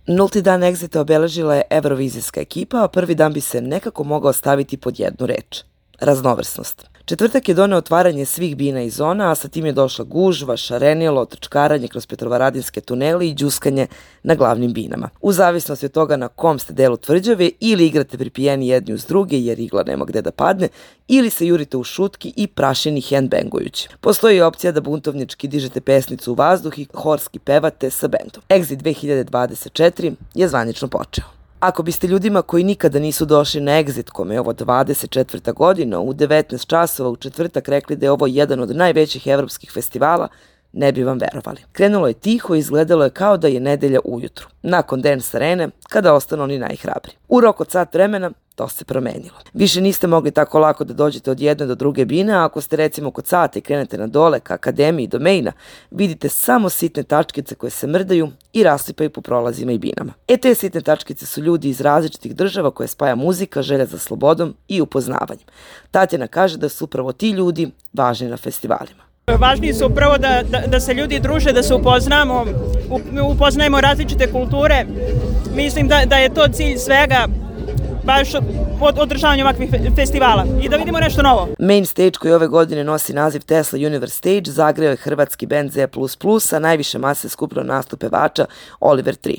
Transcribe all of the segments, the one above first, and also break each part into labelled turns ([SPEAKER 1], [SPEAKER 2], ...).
[SPEAKER 1] Nulti dan Exita obeležila je evrovizijska ekipa, a prvi dan bi se nekako mogao staviti pod jednu reč – raznovrsnost. Četvrtak je doneo otvaranje svih bina i zona, a sa tim je došla gužva, šarenilo, trčkaranje kroz petrovaradinske tunele i đuskanje na glavnim binama. U zavisnosti od toga na kom ste delu tvrđave, ili igrate pripijeni jedni uz druge jer igla nema gde da padne, ili se jurite u šutki i prašini handbangujući. Postoji opcija da buntovnički dižete pesnicu u vazduh i horski pevate sa bendom. Exit 2024 je zvanično počeo. Ako biste ljudima koji nikada nisu došli na Exit, kome je ovo 24. godina, u 19 časova u četvrtak rekli da je ovo jedan od najvećih evropskih festivala, ne bi vam verovali. Krenulo je tiho i izgledalo je kao da je nedelja ujutru, nakon Dance Arene, kada ostanu oni najhrabri. U rok od sat vremena to se promenilo. Više niste mogli tako lako da dođete od jedne do druge bine, a ako ste recimo kod sata i krenete na dole ka akademiji do maina, vidite samo sitne tačkice koje se mrdaju i raslipaju po prolazima i binama. Te sitne tačkice su ljudi iz različitih država koje spaja muzika, želja za slobodom i upoznavanjem. Tatjana kaže da su upravo ti ljudi važni na festivalima.
[SPEAKER 2] Važniji su upravo da se ljudi druže, da se upoznajemo različite kulture. Mislim da je to cilj svega, baš od održavanja ovakvih festivala i da vidimo nešto novo.
[SPEAKER 1] Main stage koji ove godine nosi naziv Tesla Universe Stage zagreo je hrvatski band Z++, a najviše mase skupilo nastup pevača Oliver 3.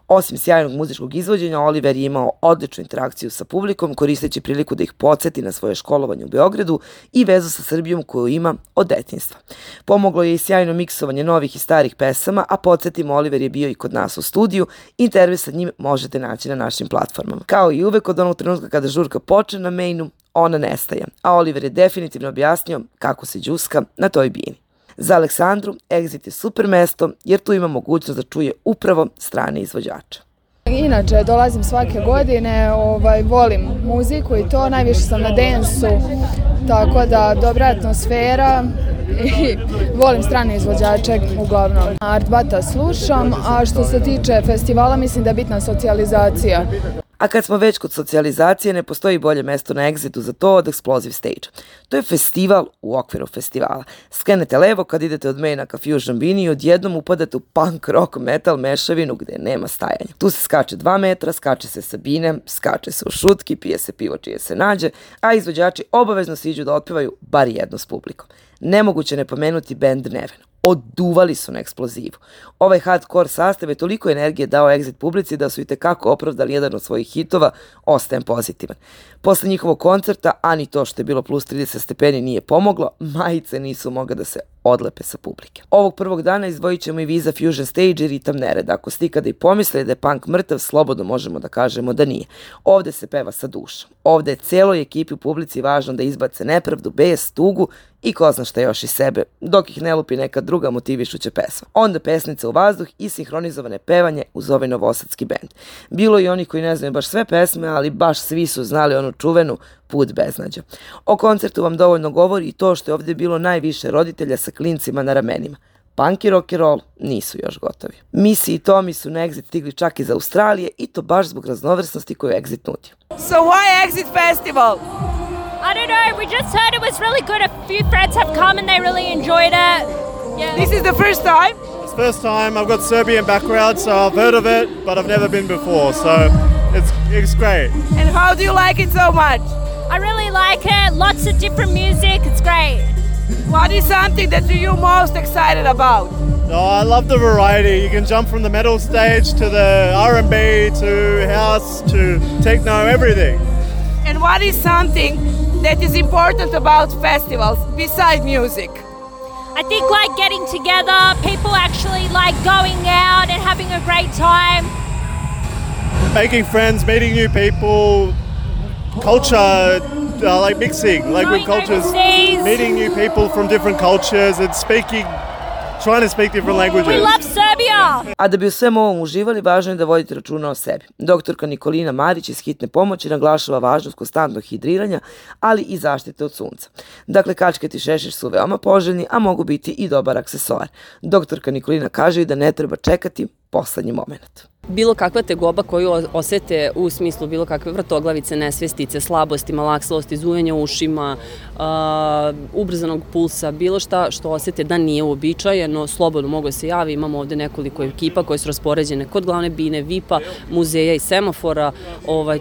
[SPEAKER 1] Osim sjajnog muzičkog izvođenja, Oliver je imao odličnu interakciju sa publikom, koristeći priliku da ih podsjeti na svoje školovanje u Beogradu i vezu sa Srbijom koju ima od detinjstva. Pomoglo je i sjajno miksovanje novih i starih pesama, a podsjetimo, Oliver je bio i kod nas u studiju. Intervju sa njim možete naći na našim platformama. Kao i uvek, od onog trenutka kada žurka počne na mainu, ona nestaje, a Oliver je definitivno objasnio kako se đuska na toj bini. Za Aleksandru, Exit je super mesto jer tu ima mogućnost da čuje upravo strane izvođače.
[SPEAKER 3] Inače, dolazim svake godine, volim muziku i to, najviše sam na dance-u, tako da dobra atmosfera i volim strane izvođače uglavnom. Art Bata slušam, a što se tiče festivala mislim da je bitna socijalizacija.
[SPEAKER 1] A kad smo već kod socijalizacije, ne postoji bolje mesto na Exitu za to od Explosive Stage. To je festival u okviru festivala. Skrenete levo kad idete od maina ka Fusion Bini i odjednom upadate u punk, rock, metal mešavinu gde nema stajanja. Tu se skače 2 metra, skače se sa bine, skače se u šutki, pije se pivo čije se nađe, a izvođači obavezno siđu da otpevaju bar jedno s publikom. Nemoguće ne pomenuti band Neven. Oduvali su na eksplozivu. Ovaj hardcore sastav je toliko energije dao Exit publici da su i tekako opravdali jedan od svojih hitova Ostajem pozitivan. Posle njihovog koncerta, a ni to što je bilo plus 30 stepeni nije pomoglo, majice nisu mogle da se odlepe sa publike. Ovog prvog dana izdvojit ćemo i Visa Fusion Stage i Ritam Nereda. Ako ste ikada i pomislili da je punk mrtav, slobodno možemo da kažemo da nije. Ovde se peva sa dušom. Ovde je celoj ekipi u publici važno da izbace nepravdu, bes, tugu i ko zna šta još iz sebe, dok ih ne lupi neka druga motivišuća pesma. Onda pesnica u vazduh i sinhronizovane pevanje uz ovaj novosadski bend. Bilo i oni koji ne znaju baš sve pesme, ali baš svi su znali onu čuvenu Put beznađa. O koncertu vam dovoljno govori i to što je ovdje bilo najviše roditelja sa klincima na ramenima. Punk i rock and roll nisu još gotovi. Missy i Tommy su na Exit stigli čak iz Australije i to baš zbog raznovrsnosti koju Exit nudi.
[SPEAKER 4] So why Exit Festival?
[SPEAKER 5] I don't know, we just heard it was really good. A few friends have come and they really enjoyed it. Yeah.
[SPEAKER 4] This is the first time?
[SPEAKER 6] It's the first time. I've got Serbian background, so I've heard of it, but I've never been before, so it's great.
[SPEAKER 4] And how do you like it so much?
[SPEAKER 5] I really like it, lots of different music, it's great.
[SPEAKER 4] What is something that you're most excited about?
[SPEAKER 6] Oh, I love the variety. You can jump from the metal stage to the R&B to house to techno, everything.
[SPEAKER 4] And what is something that is important about festivals besides music?
[SPEAKER 5] I think like getting together, people actually like going out and having a great time.
[SPEAKER 6] Making friends, meeting new people, culture, like mixing, like with cultures,
[SPEAKER 5] overseas.
[SPEAKER 6] meeting new people from different cultures and trying to speak different languages.
[SPEAKER 5] We love Serbia!
[SPEAKER 1] A da bi u svemu ovom uživali, važno je da vodite računa o sebi. Doktorka Nikolina Marić iz Hitne pomoći naglašava važnost konstantnog hidriranja, ali i zaštite od sunca. Dakle, kačket i šešir su veoma poželjni, a mogu biti i dobar aksesoar. Doktorka Nikolina kaže i da ne treba čekati poslednji moment.
[SPEAKER 7] bilo kakva tegoba koju osete u smislu bilo kakve vrtoglavice, nesvestice, slabosti, malaksalosti, zujanja ušima, ubrzanog pulsa, bilo šta što osete da nije uobičajeno, slobodno mogu da se javi. Imamo ovde nekoliko ekipa koje su raspoređene kod glavne bine, VIP-a, muzeja i semafora,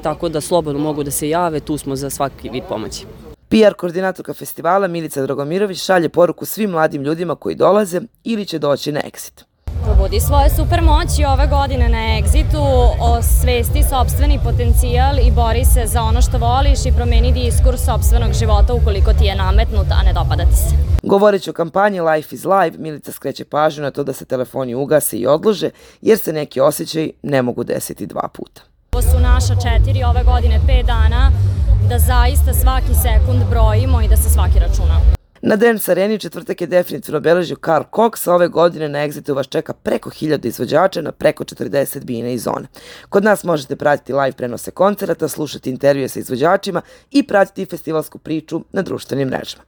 [SPEAKER 7] tako da slobodno mogu da se jave, tu smo za svaki vid pomoći.
[SPEAKER 1] PR koordinatorka festivala Milica Dragomirović šalje poruku svim mladim ljudima koji dolaze ili će doći na Exit.
[SPEAKER 8] Probudi svoje supermoći ove godine na Exitu, osvesti sopstveni potencijal i bori se za ono što voliš i promeni diskurs sopstvenog života ukoliko ti je nametnut, a ne dopada ti se.
[SPEAKER 1] Govoreći o kampanji Life is Live, Milica skreće pažnju na to da se telefoni ugase i odlože, jer se neki osjećaji ne mogu desiti 2 puta.
[SPEAKER 8] Ovo su naša 4, ove godine 5 dana, da zaista svaki sekund brojimo i da se svaki računa.
[SPEAKER 1] Na Dance Areni u četvrtak je definitivno obeležio Carl Cox, a ove godine na Exitu vas čeka preko 1000 izvođača na preko 40 bine i zone. Kod nas možete pratiti live prenose koncerata, slušati intervjue sa izvođačima i pratiti festivalsku priču na društvenim mrežama.